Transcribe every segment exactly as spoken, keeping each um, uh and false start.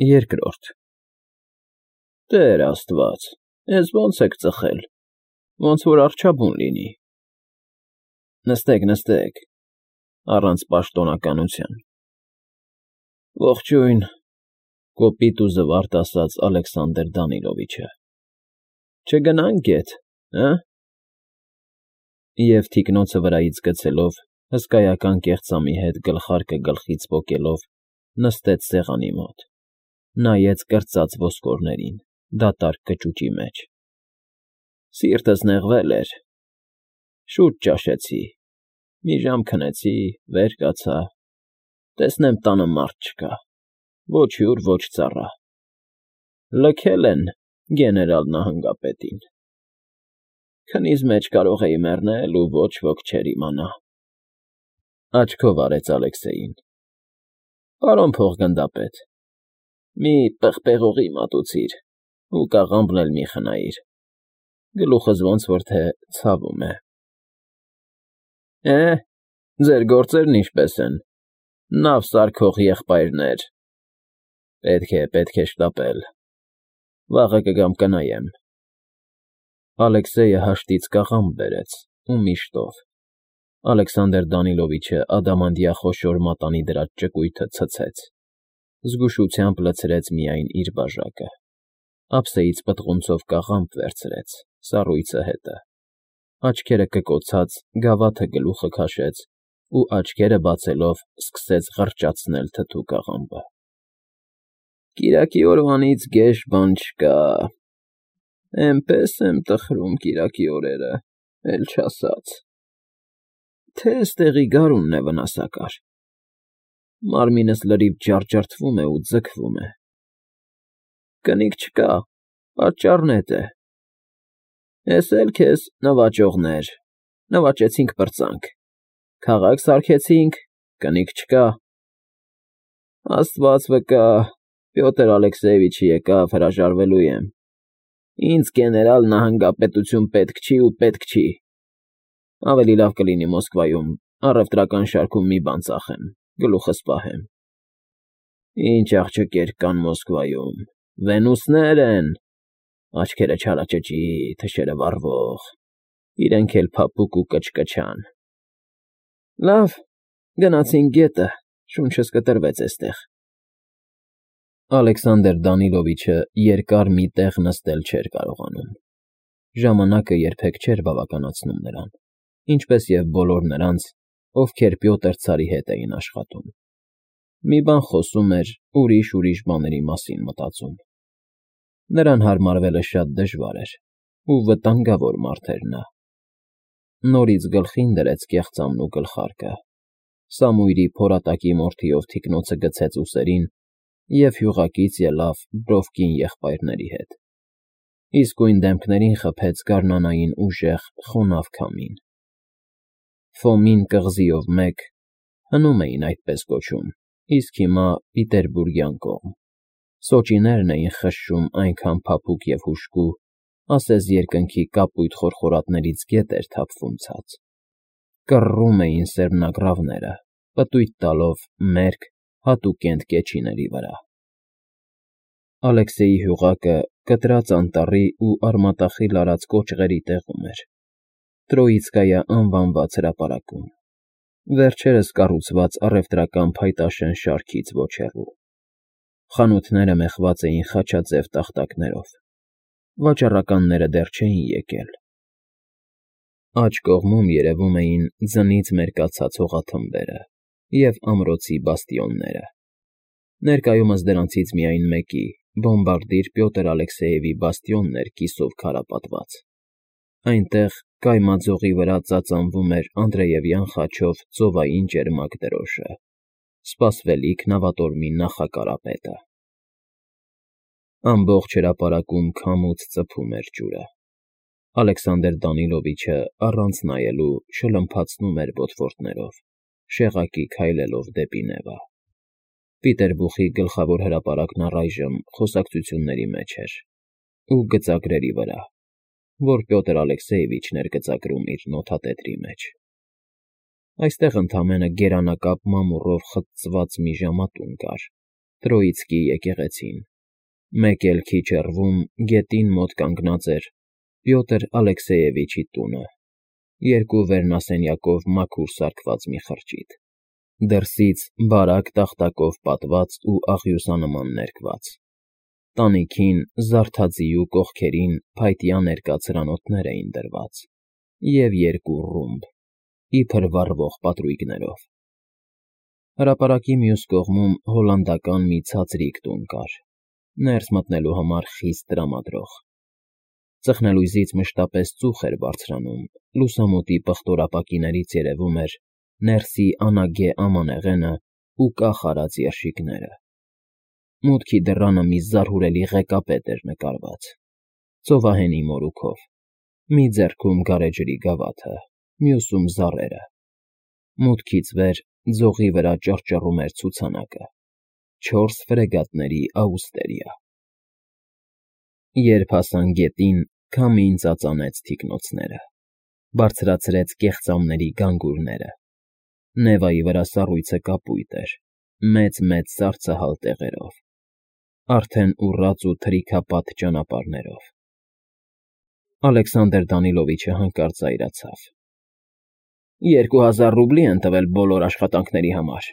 Երկրորդ Տեր Աստված, էս ո՞նց եք ծխել, ոնց որ առջևում լինի։ Նստեք, նստեք, առանց պաշտոնականության։ Ողջույն, կոպիտ ու զվարթ ասաց Ալեքսանդր Դանիլովիչը։ Չգնա՞նք գետ, հը՞։ Եվ թիկնոցը վրայից գցելով, հսկայական կեղծամի հետ գլխարկը գլխից պոկելով, նստեց սեղանի մոտ, նայեց կրծած ոսկորներին, դատարկ կճուճի մեջ։ Սիրտս նեղվել էր, շուտ ճաշեցի, մի ժամ քնեցի, վեր կացա, տեսնեմ տանը մարդ չկա, ոչ հյուր, ոչ ծառա։ Լքել են գեներալ նահանգապետին։ Քնից մեջ կարող էի մեռնել ու ոչ ոք չէր իմանա։ Աչքով արեց Ալեքսեյին։ Պարոն փոխգնդապետ, մի պղպեղողի մատուցիր ու կաղամբն էլ մի խնայիր, գլուխս ոնց որ թե ցավում է։ Է, ձեր գործերն ինչպե՞ս են, նավ սարքող եղբայրներ։ Պետք է, պետք է շտապել, վաղը կգամ կնայեմ։ Ալեքսեյը հաշտից կաղամբ բերեց ու միշտով։ Ալեքսանդր Դանիլովիչը ադամանդյա խոշոր մատանի դրած ճկույթը ցցեց, զգուշությամբ լցրեց միայն իր բաժակը, ափսեից պտղունցով կաղամբ վերցրեց, սառույցը հետը, աչքերը կկոցած գավաթը գլուխը քաշեց ու աչքերը բացելով սկսեց ղռճացնել թթու կաղամբը։ Կիրակի օրվանից գեշ բան չկա, էնպես եմ տխրում կիրակի օրերը, էլ չասած, թե էստեղի գարունն է վնասակար, մարմինս լրիվ ջարդջարդվում է ու ձգվում է։ Կնիկ չկա, պատճառն էդ է։ Էս էլ քեզ նվաճողներ, նվաճեցինք պրծանք, քաղաք սարքեցինք, կնիկ չկա։ Աստված վկա, Պյոտր Ալեքսեյևիչը եկավ, հրաժարվելու եմ։ Ինձ գեներալ նահանգապետություն պետք չի ու պետք չի։ Ավելի լավ կլինի Մոսկվայում առևտրական շարքում մի բան ծախեմ, գլուխս պահեմ։ Ինչ աղջիկներ կան Մոսկվայում, Վենուսներ են, աչքերը չարաճճի, թշերը վառվող, իրենք էլ փափուկ ու կչկչան։ Լավ, գնացինք գետը, շունչս կտրվեց էստեղ։ Ալեքսանդր Դանիլովիչը երկար մի տեղ նստել չէր կարողանում։ Ժամանակը երբեք չէր բավականացնում նրան, ինչպես և բոլոր նրանց, ովքեր Պյոտր Ցարի հետ էին աշխատում։ Մի բան խոսում էր, ուրիշ֊ուրիշ բաների մասին մտածում։ Նրան հարմարվելը շատ դժվար էր, ու վտանգավոր մարդ էր նա։ Նորից գլխին դրեց կեղծամն ու գլխարկը, Սամույրի փորատակի մորթիով թիկնոցը գցեց ուսերին և հյուղակից ելավ Բրովկին եղբայրների հետ։ Իսկույն դեմքներին խփեց գարնանային ուժեղ, խոնավ քամին։ Ֆոմին կղզիով մեկ հնում էին այդպես կոչում, իսկ հիմա Պիտերբուրգյան կողմ։ Սոճիներն էին խշշում այնքան փափուկ և հուժկու, ասես երկնքի կապույտ խորխորատներից գետ էր թափվում ցած։ Կռռում էին սերմնագռավները, պտույտ տալով մերկ, հատուկենտ կեչիների վրա։ Ալեքսեյի հյուղակը կտրած անտառի ու արմատախիլ արած կոճղերի տեղում էր, Տրոիցկայա անվանված հրապարակում, վերջերս կառուցված առևտրական փայտաշեն շարքից ոչ հեռու։ Խանութները մեխված էին խաչաձև տախտակներով, վաճառականները դեռ չէին եկել։ Աջ կողմում երևում էին ձնից մերկացած հողաթմբերը և ամրոցի բաստիոնները։ Ներկայումս դրանցից միայն մեկի, բոմբարդիր Պյոտր Ալեքսեևի բաստիոնն էր կիսով քարապատված։ Այնտեղ կայմաձողի վրա ծածանվում էր Անդրեևյան խաչով ծովային ճերմակ դրոշը, սպասվելիք նավատորմի նախակարապետը։ Ամբողջ հրապարակում քամուց ծփում էր ջուրը։ Ալեքսանդր Դանիլովիչը առանց նայելու շլմփացնում էր ոտվորդներով, շեղակի քայլելով դեպի Նևա։ Պիտերբուխի գլխավոր հրապարակն առայժմ խոսակցությունների մեջ էր ու գծագրերի վրա, որ Պյոտր Ալեքսեևիչն էր գծագրում իր նոթատետրի մեջ։ Այստեղ ընդամենը գերանակապ մամուռով խծծված մի ժամատուն կար, Տրոիցկի եկեղեցին։ Մեկ էլ քիչ հեռվում, գետին մոտ կանգնած էր Պյոտր Ալեքսեևիչի տունը, երկու վերնասենյակով մաքուր սարքված մի խրճիթ, դրսից բարակ տախտակով պատված ու աղյուսանման ներկված, տանիքին, զարդաձիու կողքերին փայտյա ներկա ցրանոթներ էին դրված և երկու ռումբ, իբր վառվող պատրույգներով։ Հրապարակի մյուս կողմում հոլանդական մի ցածրիկ տուն կար, ներս մտնելու համար խիստ տրամադրող։ Ծխնելույզից մշտապես ծուխ էր բարձրանում, լուսամուտի պղտորապակիներից երևում էր ներսի անագե ամանեղենը ու կախ արած երշիկները։ Մուտքի դռանը մի զարհուրելի ղեկապետ էր նկարված, ծովահենի մորուքով, մի ձեռքում գարեջրի գավաթը, մյուսում զառերը։ Մուտքից վեր ձողի վրա ճռճռում էր ցուցանակը՝ չորս ֆրեգատների աուստերիա։ Երբ հասան գետին, քամին ծածանեց թիկնոցները, բարձրացրեց կեղծամների գանգուրները։ Նևայի վրա սառույցը կապույտ էր, մեծ֊մեծ սառցահալ տեղերով, արդեն ուռած ու թրիքապատ ճանապարհներով։ Ալեքսանդր Դանիլովիչը հանկարծ զայրացավ։ Երկու հազար ռուբլի են տվել բոլոր աշխատանքների համար։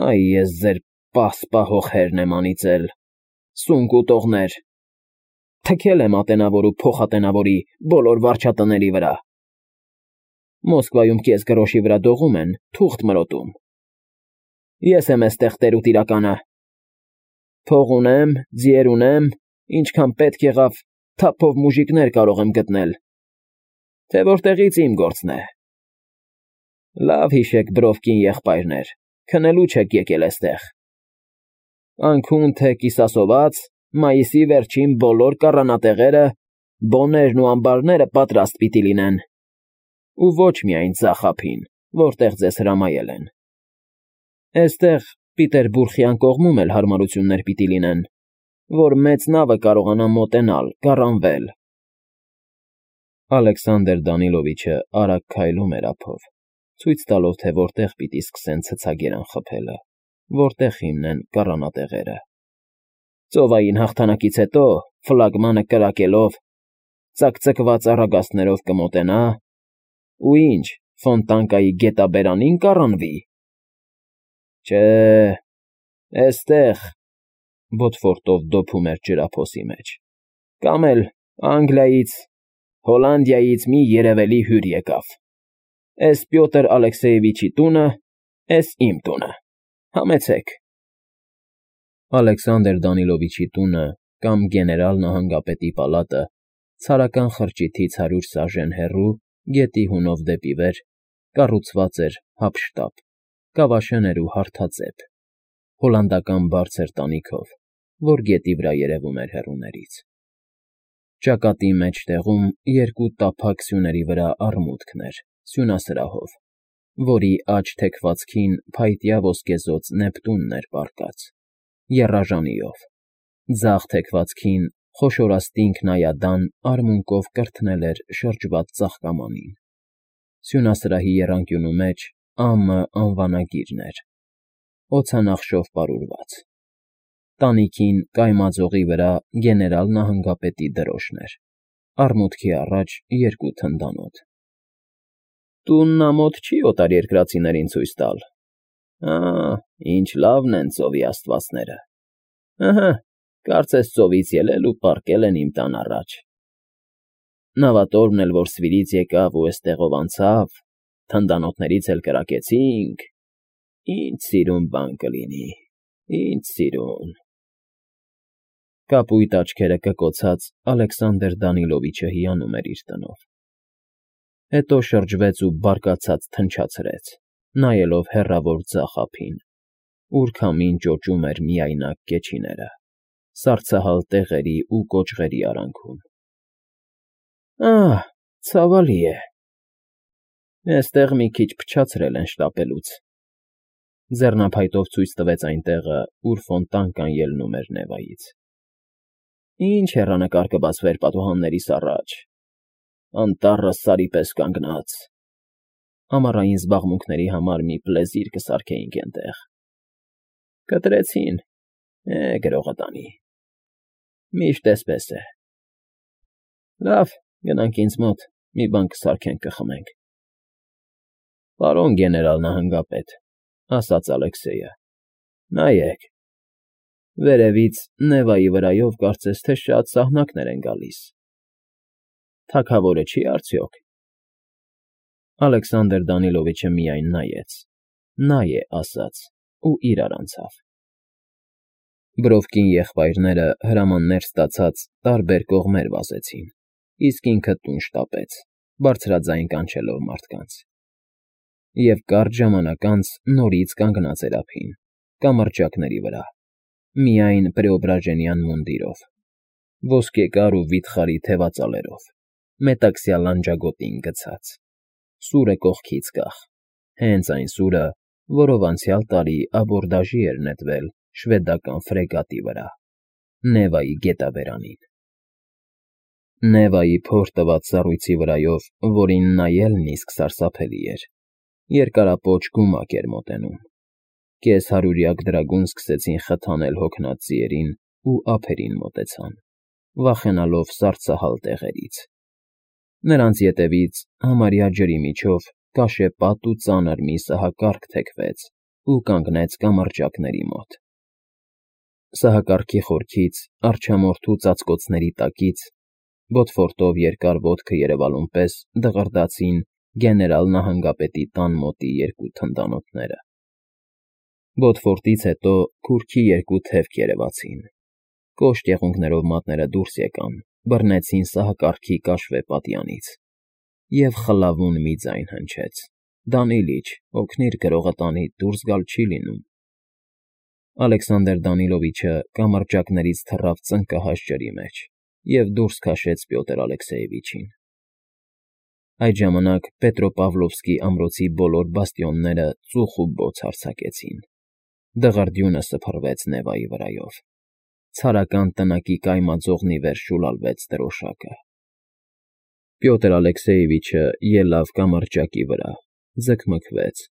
Այ ես ձեր պահ֊սպահող հերն եմ անիծել, սունկ ուտողներ, թքել եմ ատենավոր ու փոխատենավորի բոլոր վարչատների վրա։ Մոսկվայում կես գրոշի վրա դողում են, թուղթ մրոտում։ Ես եմ էստեղ տեր ու տիրականը։ Փող ունեմ, ձիեր ունեմ, ինչքան պետք եղավ, թափով մուժիկներ կարող եմ գտնել, թե որտեղից իմ գործն է։ Լավ հիշեք, բրովկին եղբայրներ, քնելու չեք եկել էստեղ։ Անքուն թե կիսասոված, մայիսի վերջին բոլոր կառանատեղերը, բոներն ու ամբարները պատրաստ պիտի լինեն։ Ու ոչ միայն ձախ ափին, որտեղ ձեզ հրամայել են։ Էստեղ Պիտերբուրգյան կողմում էլ հարմարություններ պիտի լինեն, որ մեծ նավը կարողանա մոտենալ, կառանվել։ Ալեքսանդր Դանիլովիչը արագ քայլում էր ափով, ցույց տալով, թե որտեղ պիտի սկսեն ցցագերան խփելը, որտեղ հիմնեն կառանատեղերը։ Ծովային հաղթանակից հետո, ֆլագմանը կրակելով, ծակծկված առագաստներով կմոտենա, ու ինչ, Ֆոնտանկայի գետաբերանին կառանվի։ Չէ, էստեղ, բոթֆորտով դոփում էր ջրափոսի մեջ, կամ էլ Անգլիայից, Հոլանդիայից մի երևելի հյուր եկավ։ Էս Պյոտր Ալեքսեևիչի տունը, էս իմ տունը, համեցեք։ Ալեքսանդր Դանիլովիչի տունը կամ գեներալ նահանգապետի պալատը ցարական խրճիթից հարյուր սաժեն հեռու, գետի հունով դեպի վեր, կառուցված էր հափշտապ, կավաշեն էր ու հարթաձև, հոլանդական բարձր տանիքով, որ գետի վրա երևում էր հեռուներից։ Ճակատի մեջտեղում երկու տափակ սյուների վրա առմուտքն էր, սյունասրահով, որի աջ թեքվածքին փայտյա ոսկեզօծ Նեպտունն էր պառկած, եռաժանիով, ձախ թեքվածքին խոշորաստինք նայադան արմունկով կրթնել էր շրջված ծաղկամանին։ Սյունասրահի եռանկյունու մեջ Ա.Մ. անվանագիրն էր, օդանախշով պարուրված։ Տանիքին կայմաձողի վրա գեներալ նահանգապետի դրոշն էր, առմուտքի առաջ երկու թնդանոթ։ Տունն ամոթ չի օտարերկրացիներին ցույց տալ։ Ա, ինչ լավն են ծովի աստվածները։ Ըհը, կարծես ծովից ելել ու պառկել են իմ տան առաջ։ Նավատորմն էլ որ Սվիրից եկավ ու էստեղով անցավ, թնդանոթներից էլ կրակեցինք, ինչ սիրուն բան կլինի, ինչ սիրուն… Կապույտ աչքերը կկոցած Ալեքսանդր Դանիլովիչը հիանում էր իր տնով։ Հետո շրջվեց ու բարկացած թնչացրեց, նայելով հեռավոր ձախ ափին, ուր քամին ճոճում էր միայնակ կեչիները, սառցահալ տեղերի ու կոճղերի արանքում։ Ահ, ցավալի է։ Էստեղ մի քիչ փչացրել են շտապելուց։ Ձեռնափայտով ցույց տվեց այն տեղը, ուր Ֆոնտանկան ելնում էր Նևայից։ Ինչ հեռանկար կբացվեր պատուհաններիս առաջ, անտառը սարի պես կանգնած։ Ամառային զբաղմունքների համար մի պլեզիր կսարքեինք էնտեղ։ Կտրեցին։ Է, գրողը տանի։ Միշտ էսպես է։ Լավ, գնանք ինձ մոտ, մի բան կսարքենք, կխմենք։ Պարոն գեներալ նահանգապետ, ասաց Ալեքսեյը, նայեք, վերևից Նևայի վրայով կարծես թե շատ սահնակներ են գալիս։ Թագավորը չի՞ արդյոք։ Ալեքսանդր Դանիլովիչը միայն նայեց, նա է ասաց ու իրար անցավ։ Բրովկին եղբայրները հրամաններ ստացած տարբեր կողմեր վազեցին, իսկ ինքը տուն շտապեց, բարձրաձայն կանչելով մարդկանց։ Եվ կարճ ժամանակ անց նորից կանգնած էր ափին, կամրջակների վրա, միայն Պրեոբրաժենյան մունդիրով, ոսկեկար ու վիթխարի թևածալերով, մետաքսյա լանջագոտին գցած, սուրը կողքից կախ, հենց այն սուրը, որով անցյալ տարի աբորդաժի էր նետվել շվեդական ֆրեգատի վրա, Նևայի գետաբերանին։ Նևայի փոր տված սառույցի վրայով, որին նայելն իսկ սարսափելի էր, երկարապոչ գումակ էր մոտենում։ Կեսհարյուրյակ դրագուն սկսեցին խթանել հոգնած ձիերին ու ափերին մոտեցան, վախենալով սառցահալ տեղերից։ Նրանց ետևից համարյա ջրի միջով կաշեպատ ու ծանր մի սահակարգ թեքվեց ու կանգնեց կամրջակների մոտ։ Սահակարգի խորքից, արջամորթու ծածկոցների տակից, բոթֆորտով երկար ոտքը երևալուն պես դղրդացին գեներալ նահանգապետի տան մոտի երկու թնդանոթները։ Բոթֆորտից հետո քուրքի երկու թևք երևացին, կոշտ եղունգներով մատները դուրս եկան, բռնեցին սահակարգի կաշվե պատյանից, և խլավուն մի ձայն հնչեց. «Դանիլիչ, օգնիր գրողը տանի, դուրս գալ չի լինում»։ Ալեքսանդր Դանիլովիչը կամրջակներից թռավ ծնկահաս ջրի մեջ և դուրս քաշեց Պյոտր Ալեքսեևիչին։ Այդ ժամանակ Պետրոպավլովսկի ամրոցի բոլոր բաստիոնները ծուխ ու բոց արձակեցին, դղրդյունը սփռվեց Նևայի վրայով, ցարական տնակի կայմաձողնի վեր շուլալվեց դրոշակը։ Պյոտր Ալեքսեևիչը ելավ կամրջակի վրա, ձգմքվեց,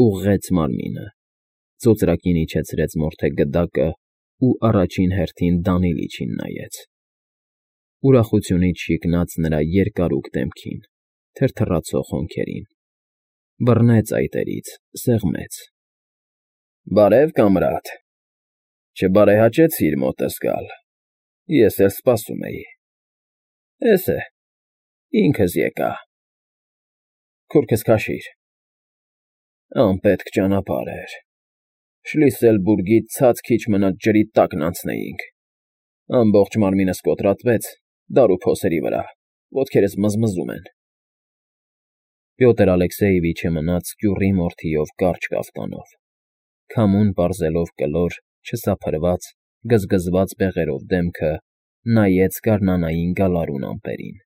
ուղղեց մարմինը, ծոծրակին իջեցրեց մորթե գդակը ու առաջին հերթին Դանիլիչին նայեց։ Ուրախությունից շիկնաց նրա երկարուկ դեմքին, թրթռացող հոնքերին, բռնեց այտերից, սեղմեց։ Բարև, կամրադ, չբարեհաճեցիր մոտս գալ, ես էլ սպասում էի։ Էս է, ինքս եկա։ Քուրքս քաշիր։ Անպետք ճանապարհ էր, Շլիսելբուրգից ցած քիչ մնաց ջրի տակն անցնեինք, ամբողջ մարմինս կոտրատվեց դարու փոսերի վրա, ոտքերս մզմզում են։ Պյոտր Ալեքսեևիչը մնաց կյուռի մորթիով կարճ կաֆտանով, քամուն պարզելով կլոր, չսափրված, գզգզված բեղերով դեմքը, նայեց գարնանային գալարուն ամպերին,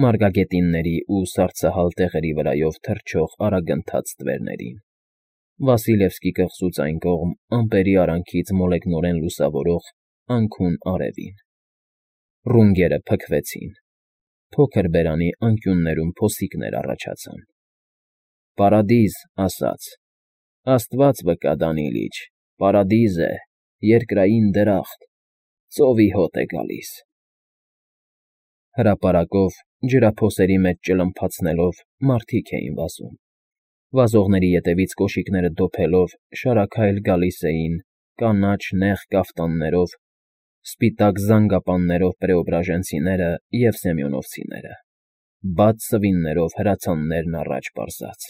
մարգագետինների ու սառցահալ տեղերի վրայով թռչող արագընթաց ստվերներին, Վասիլևսկի կղզուց այն կողմ ամպերի արանքից մոլեգնորեն լուսավորող անքուն արևին։ Ռունգերը փքվեցին, փոքր բերանի անկյուններում փոսիկներ առաջացան։ Պարադիզ, ասաց, Աստված վկա, Դանիլիչ, պարադիզ է, երկրային դրախտ, ծովի հոտ է գալիս։ Հրապարակով, ջրափոսերի մեջ ճլմփացնելով, մարդիկ էին վազում, վազողների ետևից կոշիկները դոփելով շարաքայլ գալիս էին կանաչ նեղ կաֆտաններով, սպիտակ զանգապաններով պրեոբրաժենցիները և սեմյոնովցիները, բաց սվիններով հրացաններն առաջ պարզած։